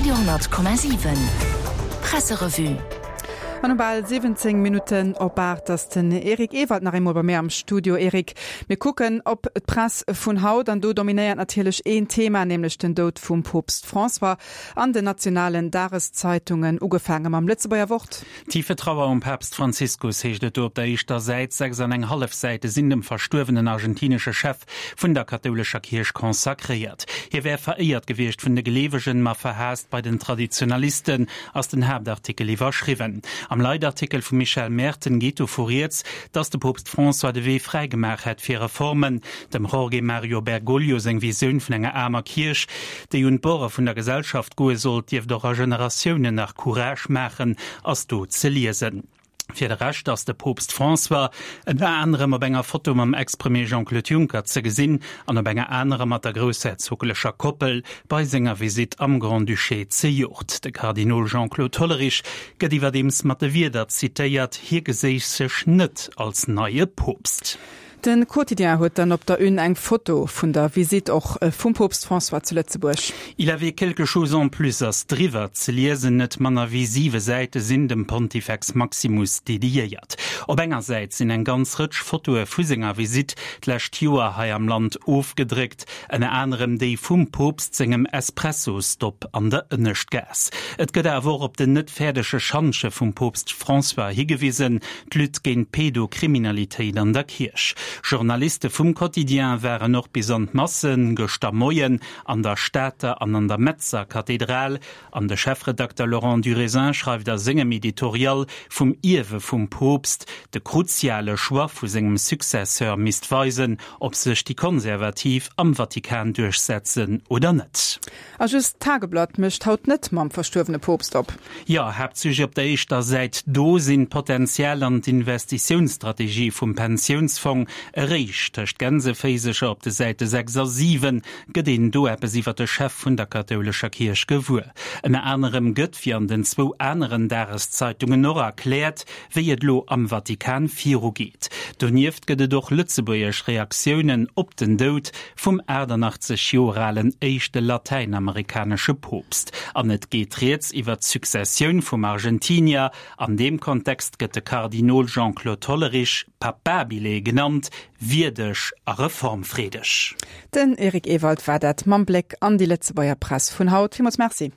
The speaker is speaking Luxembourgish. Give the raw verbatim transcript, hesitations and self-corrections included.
Radio honnert Komma siwen Presserevue. An um bal siwwenzéng Minutten op aacht ass den Eric Ewald nach eemol bei mir am Studio. Eric, mir kucken op d'Press vun haut an do dominéiert natierlech een Thema, nämlech den Doud vum Poopst François an den nationalen Dageszeitungen, ugefaange mam Lëtzebuerger Wort. Tiefe Trauer um Papst Franziskus heescht et do op der éischter Säit. Sechs an eng hallef Säite sinn dem verstuerwenen argentinesche Chef vun der kathoulescher Kierch consacréiert. Hie wär veréiert gewiescht vun de Gleewegen, ma verhaasst bei den Traditionalisten, ass den Haaptartikel iwwerschriwwen. Am Leitartikel vum Michel Merten geet dovu rieds, datt de Poopst François de Wee fräi gemaach hätt fir Reformen. Dem Jorge Mario Bergoglio seng Visioun vun enger aarmer Kierch, déi un d'Borde vun der Gesellschaft goe sollt, dierft och a Generatiounen nach Courage maachen, ass do ze liesen. Fir de Rescht ass de Poopst François ënner anerem op enger Foto mam Ex-Premier Jean-Claude Juncker ze gesinn an op enger anerer mat der groussherzoglecher Koppel bei senger Visitt am Grand-Duché zejoert. De Kardinol Jean-Claude Hollerich gëtt iwwerdeems mat de Wierder zitéiert, hie geséich sech net als neie Poopst. De Quotidien huet dann op der Une eng Foto vun der Visitt och vum Poopst François zu Lëtzebuerg. Il avait quelque chose en plus ass driwwer ze liesen. Net manner wéi siwe Säite sinn dem Pontifex Maximus dediéiert. Op enger Säit sinn eng ganz Rëtsch Fotoe vu senger Visitt d'lescht Joer hei am Land ofgedréckt, ënner anerem déi vum Poopst sengem Espresso-Stop an der Ënneschtgaass. Et gëtt awer och op den net fäerdege Schantje vum Poopst François higewisen, d'Lutte géint d'Pedokriminalitéit an der Kierch. Journaliste vum Quotidien waren och bis an d'Masse gëschter Moien an der Stater an an der Metzer Kathedral an de Chefredakter Laurent Durésin schreift a sengem Editorial vum Ierwe vum Poopst, de kruziale Choix vu sengem Successeur misst weisen, ob sech déi Konservativ am Vatikan duerchsetzen oder net. A just d'Tageblatt mécht haut net mam verstuerwene Poopst op. Jo, Haaptsujet op der éischter Säit do sinn d'Potenzial an d'Investitiounsstrategie vum Pensiounsfong. Eréischt tëscht Gänseféisercher op de Säite sechs a siwen gëtt een do eppes iwwer de Chef vun der kathoulescher Kierch gewuer. Ënner anerem gëtt, wéi an den zwou aneren Dageszeitungen och, erkläert, wéi et elo am Vatikan virugeet. Donieft gëtt et och lëtzebuergesch Reaktiounen op den Doud vum aachtannachtzeg Joer alen éischte latäinamerikanesche Poopst. An et geet rieds iwwer d'Successioun vum Argentinier. An deem Kontext gëtt de Kardinol Jean-Claude Hollerich Papabile genannt, wierdeg a reformfreedeg. Den Eric Ewald war dat mam Bléck an déi Lëtzebuerger Press vun haut. Villmools Merci.